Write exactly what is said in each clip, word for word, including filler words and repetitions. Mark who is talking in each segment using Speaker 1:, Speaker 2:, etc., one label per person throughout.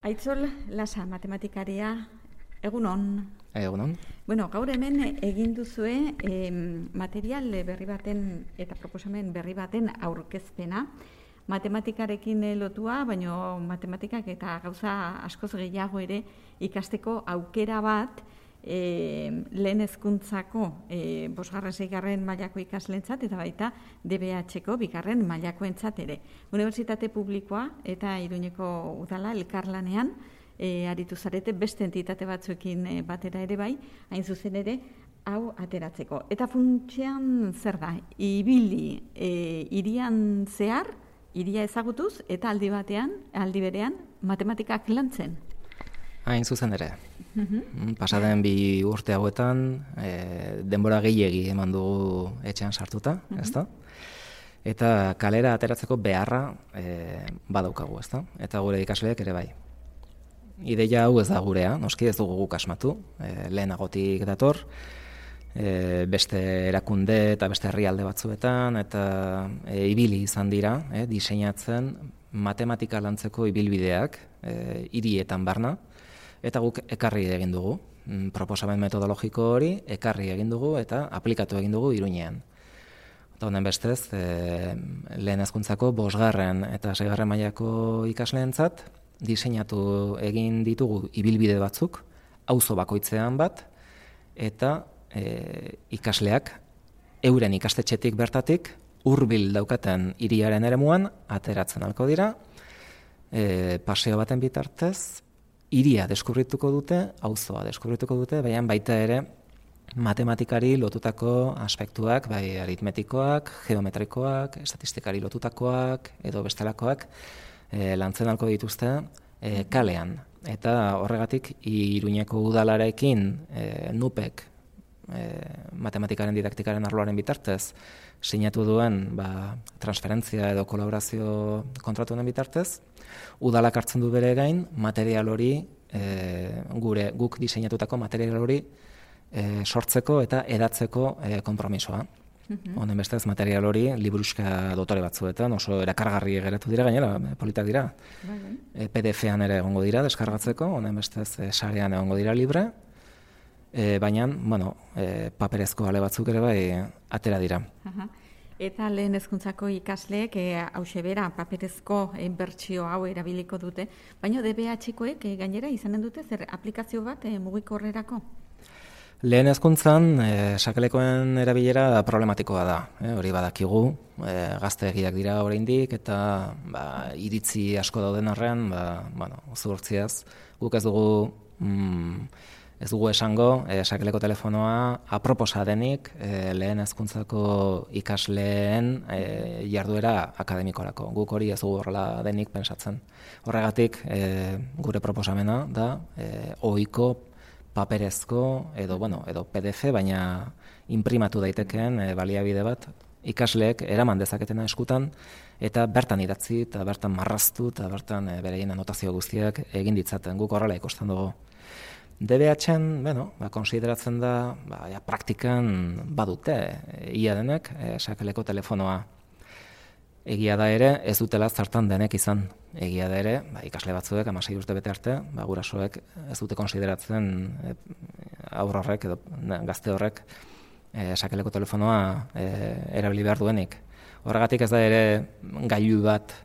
Speaker 1: Aitzol Lasa, matematikaria, egunon.
Speaker 2: Egunon.
Speaker 1: Bueno, gaur hemen egin duzue eh, material berri baten eta proposamen berri baten aurkezpena. Matematikarekin lotua, baino matematikak eta gauza askoz gehiago ere ikasteko aukera bat eh, lehen hezkuntzako eh, bosgarren seigarren mailako ikaslentzat eta baita D B H-ko bigarren mailakoentzat ere. Unibertsitate publikoa eta Iruñeko udala elkarlanean E, aritu zarete beste entitate batzuekin e, batera ere bai, hain zuzen ere, hau ateratzeko. Eta funtsean zer da, ibili e, irian zehar, iria ezagutuz, eta aldi batean, aldi berean, matematikak lantzen.
Speaker 2: Hain zuzen ere. Mm-hmm. Pasaden bi urte hauetan, e, denbora gehiegi eman dugu etxean sartuta, mm-hmm. ezta? Eta kalera ateratzeko beharra e, badaukagu, ezta? Eta gure ikasleek ere bai. Ideia hau ez da gurea, noski ez dugu guk asmatu, e, lehenagotik dator, e, beste erakunde eta beste herrialde batzuetan, eta e, ibili izan dira, e, diseinatzen matematika lantzeko ibilbideak e, hirietan barna, eta guk ekarri egin dugu. Proposamen metodologiko hori ekarri egin dugu eta aplikatu egin dugu Iruñean. Eta honen bestez, e, lehen hezkuntzako bosgarren eta seigarren mailako ikasleentzat, diseinatu egin ditugu ibilbide batzuk, auzo bakoitzean bat, eta e, ikasleak euren ikastetxetik bertatik hurbil daukaten hiriaren eremuan ateratzen halko dira, e, paseo baten bitartez, hiria deskubrituko dute, auzoa deskubrituko dute, baina baita ere matematikari lotutako aspektuak, bai aritmetikoak, geometrikoak, estatistikari lotutakoak, edo bestelakoak, E, lantzen halko dituzte e, kalean. Eta horregatik Iruñeko udalarekin e, nupek e, matematikaren didaktikaren arloaren bitartez sinatu duen ba, transferentzia edo kolaborazio kontratu honen bitartez, udalak hartzen du bere gain material hori, e, gure guk diseinatutako material hori e, sortzeko eta edatzeko e, konpromisoa. Honen bestez material hori liburuxka dotore batzuetan oso erakargarri geratu dira, gainera politak dira. E, P D F-an ere egongo dira deskargatzeko, honen bestez e, sarean egongo dira libre, e, baina bueno, e, paperezko ale batzuk ere bai atera dira.
Speaker 1: Aha. Eta lehen hezkuntzako ikasleek e, hause bera paperezko e, bertsio hau erabiliko dute, baina D B H-koek e, gainera izanen dute zer aplikazio bat e, mugikorrerako?
Speaker 2: Lehen hezkuntzan, e, sakelekoen erabilera problematikoa da, e, hori badakigu, e, gazteegiak dira oraindik eta ba, iritzi asko dauden arrean, ba, bueno, zuhurtziaz, guk ez dugu, mm, ez dugu esango, e, sakeleko telefonoa aproposa denik e, lehen hezkuntzako ikasleen e, jarduera akademikorako. Guk hori ez dugu horrela denik pensatzen. Horregatik, e, gure proposamena da, e, ohiko paperezko edo bueno, edo P D F, baina inprimatu daitekeen e, baliabide bat ikasleek eraman dezaketena eskutan eta bertan idatzi eta bertan marraztu eta bertan e, bereien anotazio guztiak egin ditzaten. Guk horrela ikusten dugu. D B H-en, bueno, ba, konsideratzen da, ba, ja, praktikan badute e, ia denek e, sakeleko telefonoa. Egia da ere, ez dutela zartan denek izan. Egia da ere, ba, ikasle batzuek, hamasei urte bete arte, ba, gurasoek ez dute konsideratzen e, aur horrek edo gazte horrek e, sakeleko telefonoa e, erabili behar duenik. Horregatik ez da ere gailu bat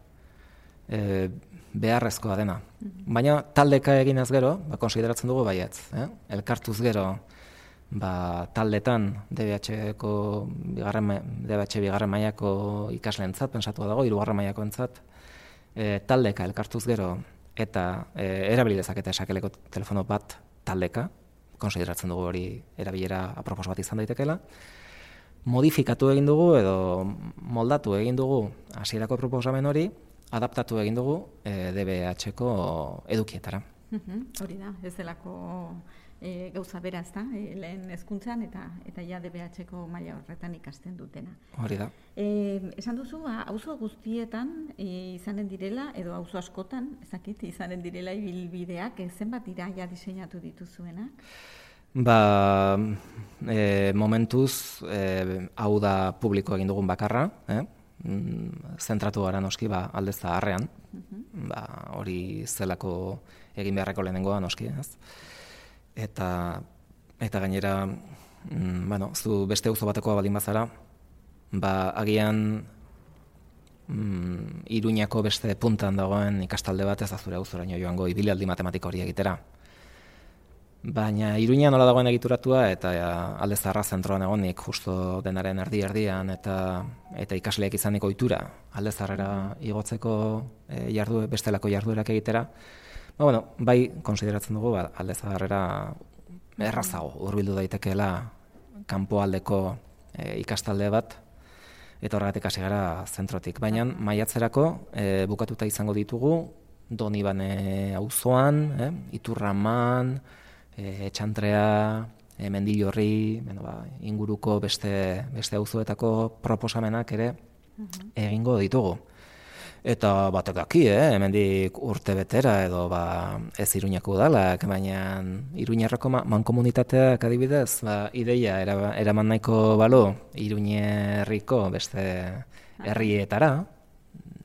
Speaker 2: e, beharrezkoa dena. Baina taldeka eginez gero, ba, konsideratzen dugu baietz. Eh? Elkartuz gero, ba, taldetan D B H-ko bigarren, D B H bigarren mailako ikasleentzat pensatua dago, hirugarren mailakoentzat, e, taldeka elkartuz gero eta e, erabili dezakete sakeleko telefono bat taldeka, konsideratzen dugu hori erabilera apropos bat izan daitekeela. Modifikatu egin dugu edo moldatu egin dugu hasierako proposamen hori, adaptatu egin dugu e, D B H-ko edukietara.
Speaker 1: Hori da, ez delako e, gauza bera, ez da, e, lehen hezkuntzan eta eta ja D B H-ko maila horretan ikasten dutena.
Speaker 2: Hori da.
Speaker 1: E, esan duzu, auzo guztietan e, izanen direla, edo auzo askotan, ezakit, izanen direla ibilbideak, e, zenbat dira ja diseinatu dituzuenak?
Speaker 2: Ba, e, momentuz, e, hau da publiko egin dugun bakarra, eh? mm, zentratu gara noski, ba, alde zaharrean, ba, hori zelako egin beharreko lehenengoa noski, ez? Eta, eta gainera, mm, bueno, zu beste auzo batekoa baldin bazara, ba, agian mm, Iruñako beste puntan dagoen ikastalde bat ez da zure auzoraino joango ibilaldi matematiko hori egitera. Baina Iruña nola dagoen egituratua eta ja, alde zaharra zentroan egonik justo denaren erdi-erdian eta eta ikasleek izanik ohitura alde zaharrera igotzeko e, jardu, bestelako jarduerak egitera, ba, bueno, bai konsideratzen dugu ba, alde zaharrera errazago hurbildu daitekeela kanpoaldeko e, ikastalde bat, eta horregatik hasi gara zentrotik. Baina maiatzerako e, bukatuta izango ditugu Donibane auzoan, eh, Iturraman, E, Etxantrea, e, Mendillorri, bueno, ba, inguruko beste, beste auzoetako proposamenak ere egingo ditugu. Eta batek daki, eh, hemendik urte betera edo ba, ez Iruñako udalak, baina Iruñarreko mankomunitateak adibidez, ba, ideia era, eraman nahiko balo Iruñerriko beste herrietara,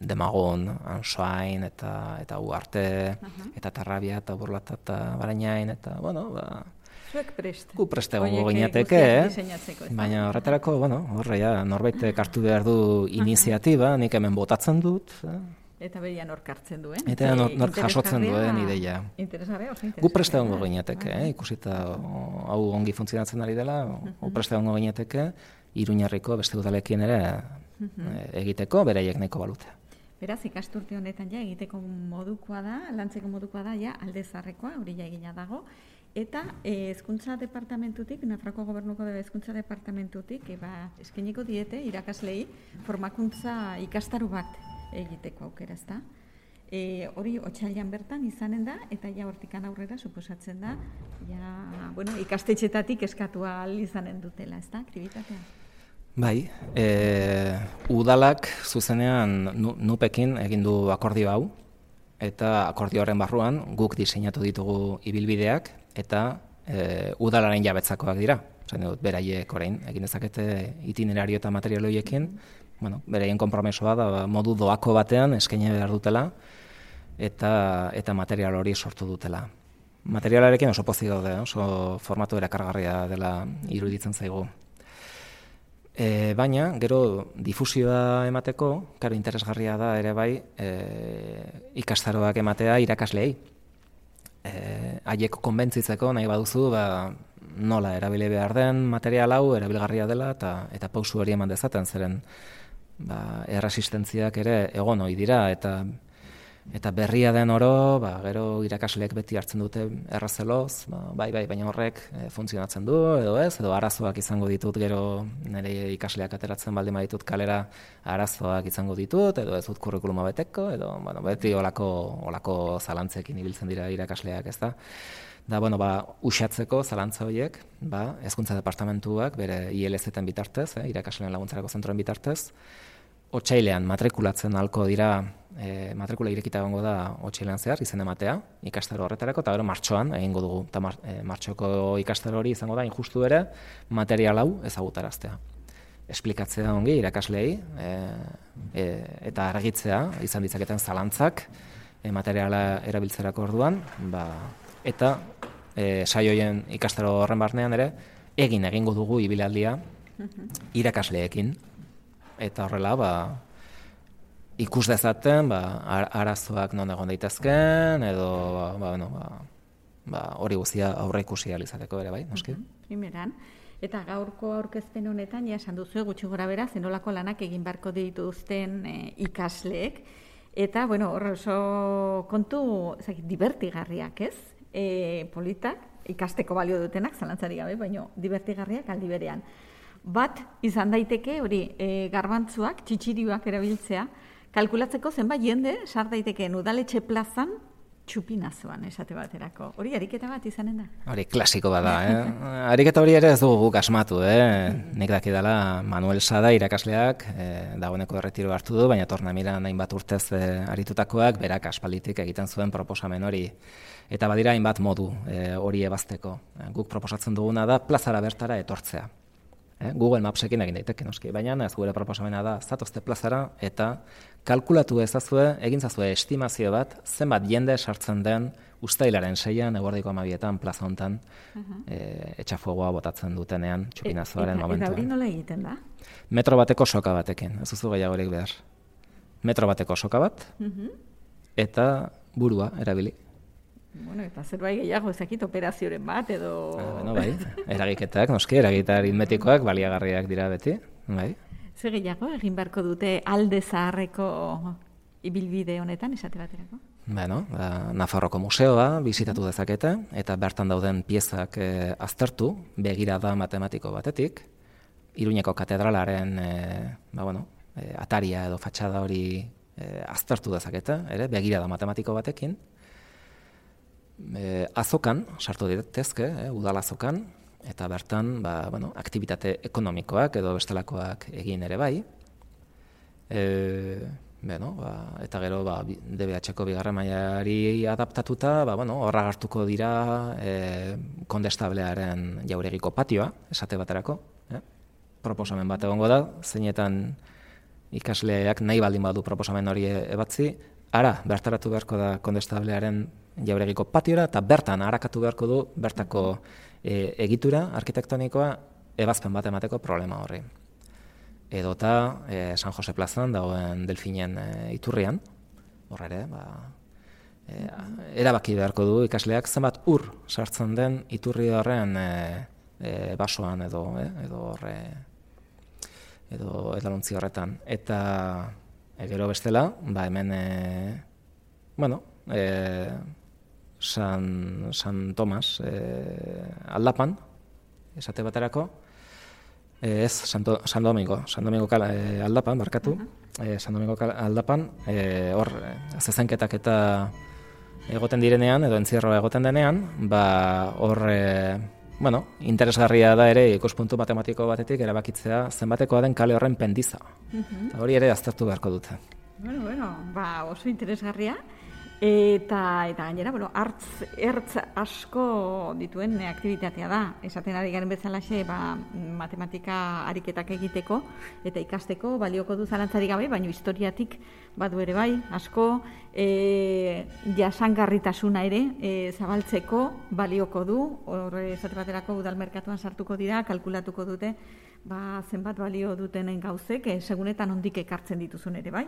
Speaker 2: Demagun, Ansoain, eta eta Uarte, uh-huh. eta Tarrabia, eta Burlata, eta Barainain, eta, bueno, ba...
Speaker 1: Zuek prest.
Speaker 2: Gu preste gongo ginateke, eh? Baina horretarako, bueno, horre, ja, norbaitek hartu behar du iniziatiba, nik hemen botatzen dut. Eh?
Speaker 1: Eta beria nork hartzen duen.
Speaker 2: Eta nork nor jasotzen duen ideia.
Speaker 1: Interesgarria, oso interesgarria.
Speaker 2: Gu preste gongo ginateke, eh? Ikusita hau ongi funtzionatzen ari dela, gu preste gongo ginateke, Iruñarriko beste udalekin ere egiteko, beraiek nahiko balute.
Speaker 1: Beraz, ikasturte honetan ja egiteko modukoa da, lantzeko modukoa da, ja alde zaharrekoa, hori ja egina dago. Eta hezkuntza departamentutik, Nafarroako Gobernuko de hezkuntza departamentutik, eba, eskainiko diete irakaslei formakuntza ikastaru bat egiteko aukera, ezta? E, hori otsailean bertan izanen da, eta ja hortikan aurrera suposatzen da, ja, bueno, ikastetxetatik eskatua ahal izanen dutela, ezta? Aktibitatea.
Speaker 2: Bai, e, udalak zuzenean nupekin egin du akordio hau, eta akordio horren barruan guk diseinatu ditugu ibilbideak, eta e, udalaren jabetzakoak dira. Zain dut, beraiek orain, egin dezakete itinerario eta material horiekin, bueno, beraien konpromesoa da modu doako batean eskaini behar dutela, eta, eta material hori sortu dutela. Materialarekin oso pozik daude, oso formatu erakargarria dela iruditzen zaigu. E, baina, gero difusioa emateko, karo interesgarria da ere bai, e, ikastaroak ematea irakasleei. E, haiek konbentzitzeko nahi baduzu, ba, nola erabili behar den material hau, erabilgarria dela, eta, eta pausu hori eman dezaten, zeren ba, erresistentziak ere egon ohi dira, eta Eta berria den oro, ba, gero irakasleek beti hartzen dute errazeloz, ba, bai, bai, baina horrek e, funtzionatzen du, edo ez, edo arazoak izango ditut, gero nire ikasleak ateratzen baldin baditut kalera arazoak izango ditut, edo ez dut kurrikuluma beteko, edo bueno, beti olako, olako zalantzekin ibiltzen dira irakasleak, ez da. Da, bueno, ba, usatzeko zalantza horiek, ba, hezkuntza departamentuak, bere I L Z-en bitartez, eh, irakasleen laguntzarako zentroen bitartez, otsailean matrikulatzen halko dira, e, matrikula irekita egongo da otsailean zehar, izen ematea, ikastaro horretarako, eta gero martxoan egingo dugu. Eta mar, e, martxoko ikastaro hori izango da, injustu ere, material hau ezagutaraztea. Esplikatzea ongi irakasleei, e, e, eta argitzea, izan ditzaketen zalantzak, e, materiala erabiltzerako orduan, ba, eta e, saioien ikastaro horren barnean ere, egin egingo dugu ibilaldia irakasleekin. Eta horrela, ba, ikus dezaten, ba, arazoak non egon daitezken, edo ba, bueno, ba, ba, hori guztia aurre ikusi ahal izateko ere, bai, noski?
Speaker 1: Primeran. Eta gaurko aurkezpen honetan, ja esan duzu, gutxi gora bera, zenolako lanak egin beharko dituzten e, ikasleek. Eta, bueno, hor oso kontu, zaki, divertigarriak, ez? E, politak, ikasteko balio dutenak, zalantzari gabe, baina divertigarriak aldi berean. Bat, izan daiteke, hori, e, garbantzuak, txitsirioak erabiltzea, kalkulatzeko zenbait jende, sar daitekeen udaletxe plazan, txupinazoan esate baterako. Hori, ariketa bat izanen da? Hori,
Speaker 2: klasiko bada, eh? Ariketa hori ere ez dugu guk asmatu, eh? Nik dakidala Manuel Sada irakasleak, eh, dagoeneko erretiro hartu du, baina torna miran hainbat urtez eh, aritutakoak, berak aspalditik egiten zuen proposamen hori. Eta badira hainbat modu eh, hori ebazteko. Guk proposatzen duguna da plazara bertara etortzea. Eh? Google Mapsekin egin daiteke noski, baina ez gure proposamena da zatozte plazara eta kalkulatu ezazue, egin zazue estimazio bat, zenbat jende sartzen den uztailaren seian, eguerdiko amabietan, plaza hontan, uh-huh. e, etxafogoa botatzen dutenean, txupinazoaren
Speaker 1: e,
Speaker 2: momentuan.
Speaker 1: Eta hori nola egiten da?
Speaker 2: Metro bateko soka batekin, ez duzu gehiagorik behar. Metro bateko soka bat, uh-huh. eta burua erabili.
Speaker 1: Bueno, eta zer bai gehiago ezakit operazioren bat, edo...
Speaker 2: Ah, bueno, bai, eragiketak, noski, eragita aritmetikoak baliagarriak dira beti, bai.
Speaker 1: Zer gehiago egin beharko dute alde zaharreko ibilbide honetan, esate baterako?
Speaker 2: Bueno, ba, Nafarroko museoa bizitatu dezakete, eta bertan dauden piezak e, aztertu, begirada matematiko batetik, Iruñeko katedralaren e, ba, bueno, e, ataria edo fatxada hori e, aztertu dezakete, ere, begirada matematiko batekin, E, azokan, sartu ditezke, e, udal azokan, eta bertan, ba, bueno, aktibitate ekonomikoak edo bestelakoak egin ere bai. E, bueno, ba, eta gero ba, D B H-ko bigarren mailari adaptatuta, ba, bueno, horra hartuko dira e, kondestablearen jauregiko patioa, esate baterako. E? Proposamen bat egongo da, zeinetan ikasleak nahi baldin badu proposamen hori ebatzi, ara, bertaratu beharko da kondestablearen jauregiko patiora, eta bertan harakatu beharko du bertako e, egitura arkitektonikoa ebazpen bat emateko problema horri. Edota e, San Jose plazan dagoen Delfinen e, iturrian, horre ere, ba, e, erabaki beharko du ikasleak zenbat ur sartzen den iturri horren e, e, basoan edo, e, edo horre, edo edalontzi horretan. Eta e, gero bestela, ba hemen, e, bueno, e, San, San Tomas e, aldapan, esate baterako, e, ez, Santo, San Domingo, San Domingo kala, e, aldapan, barkatu, uh-huh. e, San Domingo kala, aldapan, e, hor, zezenketak eta egoten direnean, edo entzierroa egoten denean, ba, hor, e, bueno, interesgarria da ere ikuspuntu matematiko batetik erabakitzea zenbatekoa den kale horren pendiza. Uh-huh. Hori ere aztertu beharko dute.
Speaker 1: Bueno, bueno, ba, oso interesgarria. Eta, eta gainera, bueno, hartz, ertz asko dituen aktibitatea da. Esaten ari garen bezalaxe, ba, matematika ariketak egiteko eta ikasteko balioko du zalantzarik gabe, baina historiatik badu ere bai, asko e, jasangarritasuna ere e, zabaltzeko balioko du. Horre esate baterako udalmerkatuan sartuko dira, kalkulatuko dute ba, zenbat balio dutenen gauzek, e, segunetan ondik ekartzen dituzun ere bai.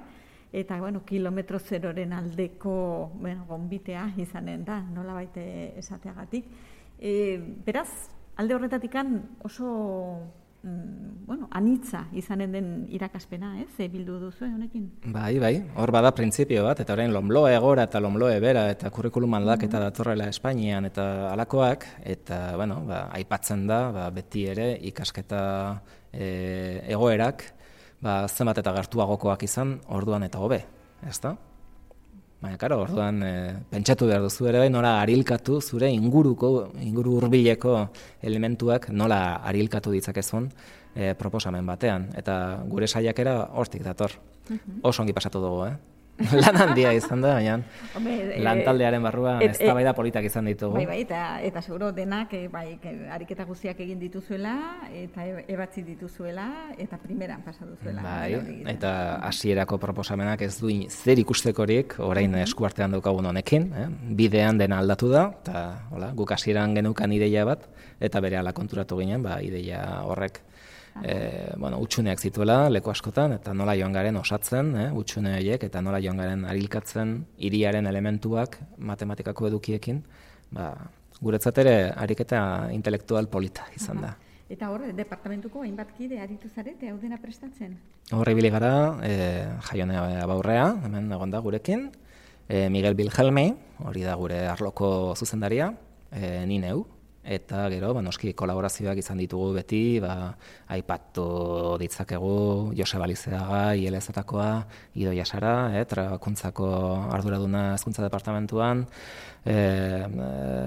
Speaker 1: Eta, bueno, kilometro zeroren aldeko, bueno, gonbitea izanen da, nola baite esateagatik. E, beraz, alde horretatikan oso, mm, bueno, anitza izanen den irakaspena, ez? E, bildu duzu honekin?
Speaker 2: Bai, bai, hor bada printzipio bat, eta orain lomloe gora eta lomloe bera, eta kurrikulum aldaketa mm-hmm. datorrela Espainian, eta alakoak, eta, bueno, ba, aipatzen da, ba, beti ere ikasketa e, egoerak, ba, zenbat eta gertuagokoak izan, orduan eta hobe, ezta? Baina, karo, orduan e, pentsatu behar duzu ere, nola arilkatu zure inguruko, inguru hurbileko elementuak nola arilkatu ditzakezun e, proposamen batean. Eta gure saiakera hortik dator. Uh-huh. Oso ongi pasatu dugu, eh? Lan handia izan da, baina lan taldearen barruan eztabaida politak izan ditugu.
Speaker 1: Bai, bai, eta, eta seguro denak e, bai, ariketa guztiak egin dituzuela, eta ebatzi dituzuela, eta primeran pasa duzuela.
Speaker 2: Bai, eta hasierako proposamenak ez duin zer ikustekorik, orain eskuartean daukagun honekin, eh? Bidean dena aldatu da, eta hola, guk hasieran genukan ideia bat, eta berehala konturatu ginen, ba, ideia horrek E, bueno, utxuneak zituela leku askotan, eta nola joan garen osatzen, eh, utxune horiek, eta nola joan garen arilkatzen hiriaren elementuak matematikako edukiekin, ba, guretzat ere ariketa intelektual polita izan da.
Speaker 1: Aha. Eta hor, departamentuko hainbat kide aritu zarete, hau dena prestatzen?
Speaker 2: Horri ibili gara, e, Jaione Abaurrea, hemen egon da gurekin, e, Miguel Bilhelmi, hori da gure arloko zuzendaria, e, ni neu, eta gero, ba, noski kolaborazioak izan ditugu beti, ba, aipatu ditzakegu Joseba Lizeaga, I L Z-takoa, Idoia Sara, eh, trabakuntzako arduraduna hezkuntza departamentuan, eh,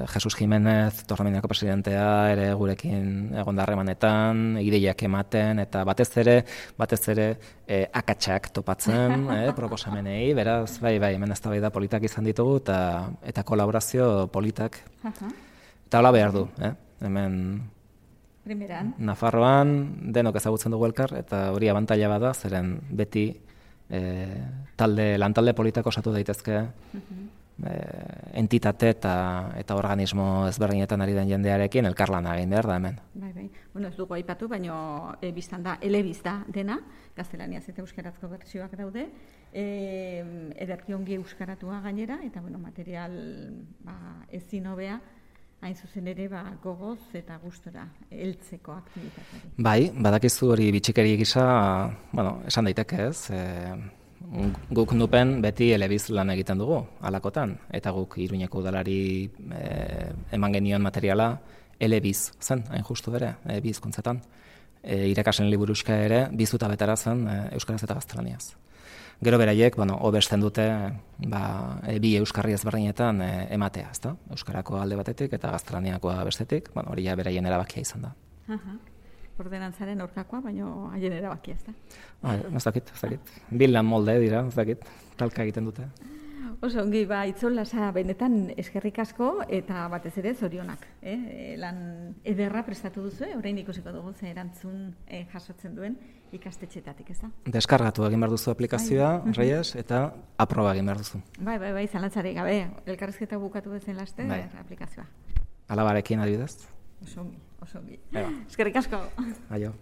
Speaker 2: Jesus Jimenez, Torreminako presidentea, ere gurekin egon da harremanetan, ideiak ematen, eta batez ere, batez ere, eh, akatsak topatzen, eh, proposamenei, beraz, bai, bai, hemen eztabaida politak izan ditugu, eta, eta kolaborazio politak. Eta hola behar du, eh? Hemen
Speaker 1: Primeran.
Speaker 2: Nafarroan denok ezagutzen dugu elkar, eta hori abantaila bada, zeren beti e, talde, lantalde politak osatu daitezke, e, entitate eta, eta organismo ezberdinetan ari den jendearekin elkarlana egin behar da hemen.
Speaker 1: Bai, bai. Bueno, ez dugu aipatu, baino e, biztan da, elebiz da dena, gaztelaniaz eta euskarazko bertsioak daude, e, ederki ongi euskaratua gainera, eta bueno, material ba, ezin hobea, hain zuzen ere ba, gogoz eta gustora heltzeko aktibitateari.
Speaker 2: Bai, badakizu hori bitxikeri gisa, bueno, esan daiteke ez, e, guk nupen beti elebiz lan egiten dugu, alakotan, eta guk Iruñeko udalari e, eman genion materiala elebiz zen, hain justu ere, e, bi hizkuntzetan. E, irakasen liburuxka ere, bizuta betara zen e, euskaraz eta gaztelaniaz. Gero beraiek, bueno, hobesten dute ba, e, bi euskarri ezberdinetan e, ematea, ezta? Euskarako alde batetik eta gaztelaniakoa bestetik, bueno, hori ja beraien erabakia izan da.
Speaker 1: Aha. Ordenantzaren aurkakoa, baino haien erabakia, ezta?
Speaker 2: Ah, ez dakit, ez dakit. Bilan molde dira, ez dakit, talka egiten dute.
Speaker 1: Oso ongi, ba, Itzol Lasa benetan eskerrik asko eta batez ere zorionak. Eh? Lan ederra prestatu duzu, orain ikusiko dugu ze erantzun eh, jasotzen duen ikastetxeetatik, ez da?
Speaker 2: Deskargatu egin behar duzu aplikazioa,
Speaker 1: Bai.
Speaker 2: Reyes, eta aproba egin behar duzu.
Speaker 1: Bai, bai, bai, zalantzarik gabe, elkarrizketa bukatu bezen laste,
Speaker 2: Bai.
Speaker 1: aplikazioa.
Speaker 2: Alabarekin adibidez.
Speaker 1: Oso ongi, oso ongi.
Speaker 2: Eba.
Speaker 1: Eskerrik asko.
Speaker 2: Aio.